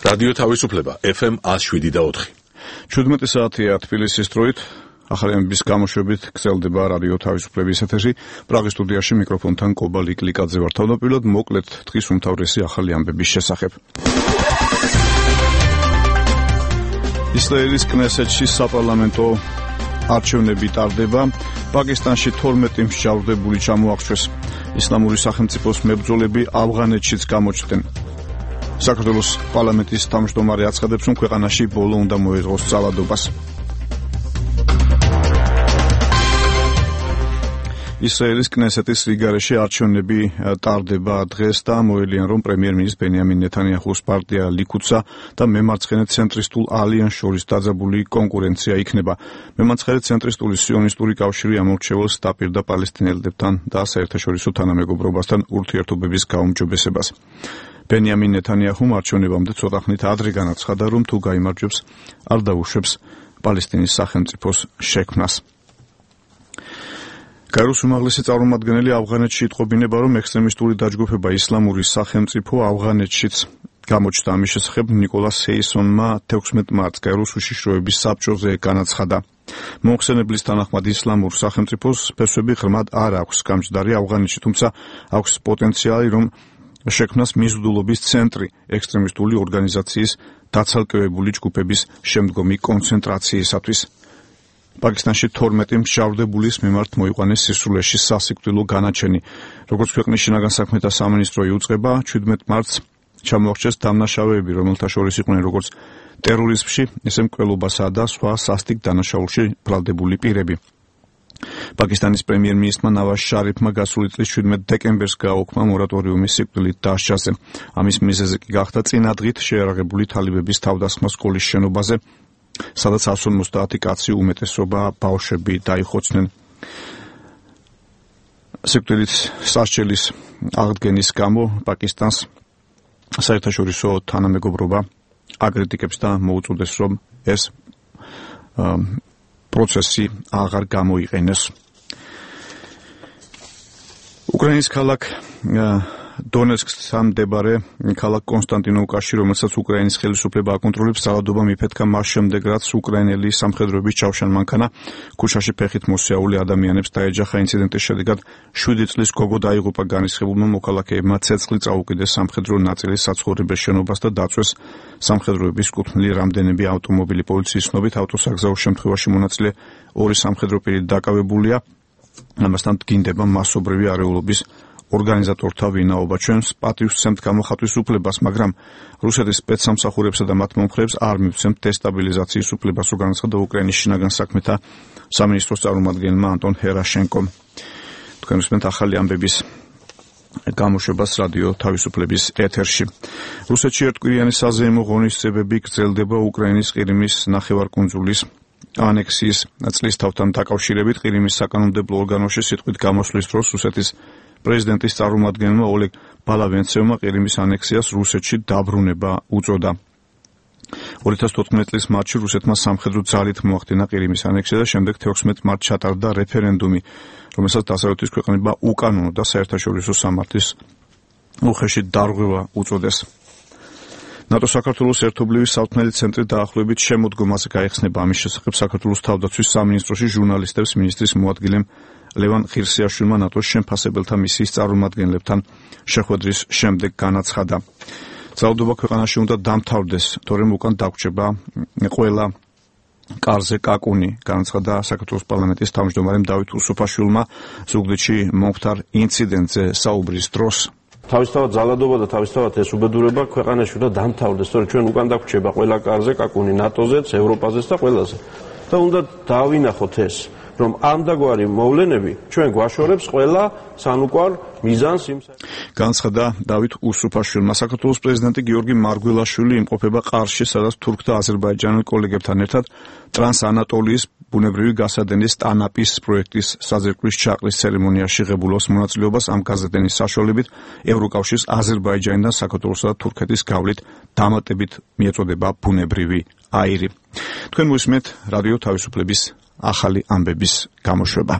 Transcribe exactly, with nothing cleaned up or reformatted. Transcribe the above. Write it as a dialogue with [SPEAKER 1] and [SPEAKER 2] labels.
[SPEAKER 1] რადიო თავისუფლება ეფ ემ one oh seven და four.
[SPEAKER 2] ჩვიდმეტი საათია თბილისის დროით. ახალი ამბების გამოშვებით გრძელდება რადიო თავისუფლების ეთერი. პრაღის სტუდიაში მიკროფონთან კობა ლიკლიკაძე ვარ. თავდაპირველად მოკლედ დღის უმთავრესი ახალი ამბების შესახებ. ისრაელის კნესეთში საპარლამენტო არჩევნები ტარდება. პაკისტანში თორმეტი მსჯავრდებული ჩამოახვეს. ისლამური სახელმწიფოს მებრძოლები ავღანეთშიც გამოჩნდნენ. საქართველოს პარლამენტის თავმჯდომარე აცხადებს, რომ ქვეყანაში ბოლო უნდა მოეწყოს ძალადობას. ისრაელის კნესეთის რიგარეში არჩევნები ტარდება დღეს და მოელიან, რომ პრემიერ-მინისტრის ბენიამინ ნეთანიაჰუს პარტია ლიქუდსა და მემარცხენე ცენტრისტულ ალიანსს შორის დაძაბული კონკურენცია იქნება. მემარცხენე ცენტრისტული სიონისტური კავშირი ამორჩეველს დაპირდა პალესტინელებთან და საერთაშორისო თანამეგობრობასთან ურთიერთობების გაუმჯობესებას. ბენიამინ ნეთანიაჰუმ არჩევნებამდე ცოტა ხნით ადრე განაცხადა, რომ თუ გაიმარჯვებს, არ დაუშვებს პალესტინის სახელმწიფოს შექმნას. გაეროს უმაღლესი წარმომადგენელი ავღანეთში იტყობინება, რომ ექსტრემისტული დაჯგუფება ისლამური სახელმწიფო ავღანეთშიც გამოჩნდა. ამის შესახებ ნიკოლას ჰეისონმა თექვსმეტ მარტს გაეროს უშიშროების საბჭოზე განაცხადა. მოხსენებლის თანახმად ისლამურ სახელმწიფოს ფესვები ღრმად არ აქვს გამჯდარი ავღანეთში, თუმცა აქვს პოტენციალი, რომ შექმნას მიზიდულობის ცენტრი ექსტრემისტული ორგანიზაციის დაცალკევებული ჯგუფების შემდგომი კონცენტრაციისათვის. პაკისტანში თორმეტი მსჯავრდებულის მიმართ მოიყვანეს სისრულეში სასიკვდილო განაჩენი. როგორც ქვეყნის შინაგან საქმეთა სამინისტრო იუწყება, ჩვიდმეტ მარტს ჩამოახვეს დამნაშავეები, რომელთა შორის იყვნენ როგორც ტერორიზმში, ისე მკვლელობასა და სხვა სასტიკ დანაშაულში ბრალდებული პირები. პაკისტანის პრემიერ-მინისტრმა ნავაზ შარიფმა გასული წლის შვიდმეტ დეკემბერს გააუქმა მორატორიუმი სიკვდილით დასჯაზე. ამის მიზეზი კი გახდა წინადღით შეიარაღებული თალიბების თავდასხმა სკოლის შენობაზე, სადაც εκατს ორმოცდაათი კაცი, უმეტესობა ბავშვები დაიხოცნენ. სიკვდილით სასჯელის აღდგენის გამო პაკისტანს საერთაშორისო თანამეგობრობა აკრიტიკებს და მოუწოდეს, რომ ეს პროცესი აღარ გამოიყენოს. უკრაინის ქალაქ დონეცკთან მდებარე ქალაქ კონსტანტინოვკაში, რომელსაც უკრაინის ხელისუფლება აკონტროლებს, ძალადობა მიფეთქა მას შემდეგ, რაც უკრაინელი სამხედროების ჩავშან მანქანა ქუჩაში ფეხით მოსიაული ადამიანებს დაეჯახა. ინციდენტის შედეგად შვიდი წლის გოგო დაიღუპა. განრისხებულმა მოქალაქეებმა ცეცხლი წაუკიდეს სამხედრო ნაწილის საცხოვრებელ შენობას და დაწვეს სამხედროების კუთვნილი რამდენიმე ავტომობილი. პოლიციის ცნობით ავტოსაგზაო შემთხვევაში მონაწილე ორი სამხედრო პირი დაკავებულია. ამასთან დგინდება მასობრივი არეულობის ორგანიზატორთა ვინაობა. ჩვენს პატივსცემთ გამოხატვის უფლებას, მაგრამ რუსეთის სპეცსამსახურებსა და მათ მომხრეებს არ მივცემთ დესტაბილიზაციის უფლებას, რო განაცხადა უკრაინის შინაგან საქმეთა სამინისტროს წარმომადგენელმა ანტონ ჰერაშენკომ. თქვენ უსმენთ ახალი ამბების გამოშვებას რადიო თავისუფლების ეთერში. რუსეთში ერთკვირიანი საზეიმო ღონისძიებები გრძელდება უკრაინის ყირიმის ნახევარკუნძულის ანექსიის წლის თავთან დაკავშირებით. ყირიმის საკანონმდებლო ორგანოში სიტყვით გამოსვლის დროს რუსეთის პრეზიდენტის წარმომადგენელმა ოლეგ ბალავენცევმა ყირიმის ანექსიას რუსეთში დაბრუნება უწოდა. ორი ათას თოთხმეტი წლის მარტში რუსეთმა სამხედრო ძალით მოახდინა ყირიმის ანექსია და შემდეგ თექვსმეტ მარტს ჩატარდა რეფერენდუმი, რომელსაც დასავლეთის ქვეყნებმა უკანონო და საერთაშორისო სამართლის უხეში დარღვევა უწოდეს. ნატო საქართველოს ერთობლივი საუთნელი ცენტრი დაახლოებით შემოდგომაზე გაიხსნება. ამის შესახებ საქართველოს თავდაცვის სამინისტროში ჟურნალისტებს მინისტრის მოადგილემ ლევან ხირსიაშვილმა ნატოს შემფასებელთა მისიის წარმომადგენლებთან შეხვედრის შემდეგ განაცხადა. ძალადობა ქვეყანაში უნდა დამთავრდეს, თორემ უკან დაგვრჩება ყველა კარზე კაკუნი, განაცხადა საქართველოს პარლამენტის თავმჯდომარემ დავით უსუფაშვილმა ზუგდიდში მომხდარ ინციდენტზე საუბრის დროს.
[SPEAKER 3] თავისთავად ძალადობა და თავისთავად ეს უბედურება ქვეყანაში უნდა დამთავრდეს, თორემ ჩვენ უკან დაგვრჩება ყველა კარზე კაკუნი ნატოზეც, ევროპაზეც და ყველაზე. და უნდა დავინახოთ ეს, რომ ამდაგვარი მოვლენები ჩვენ გვაშორებს ყველა სანუკვარ მიზანს იმ
[SPEAKER 2] განაცხადა დავით უსუფაშვილმა. საქართველოს პრეზიდენტი გიორგი მარგველაშვილი იმყოფება ყარში, სადაც თურქ და აზერბაიჯანელ კოლეგებთან ერთად ტრანსანატოლიის ბუნებრივი გასადენის ტანაპის პროექტის საძირკვლის ჩაყრის ცერემონიაში ღებულობს მონაწილეობას. ამ გასადენის საშუალებით ევროკავშირის აზერბაიჯანიდან საქართველოსა და თურქეთის გავლით დამატებით მიეწოდება ბუნებრივი აირი. თქვენ მოისმენთ რადიო თავისუფლების ახალი ამბების გამოშვება.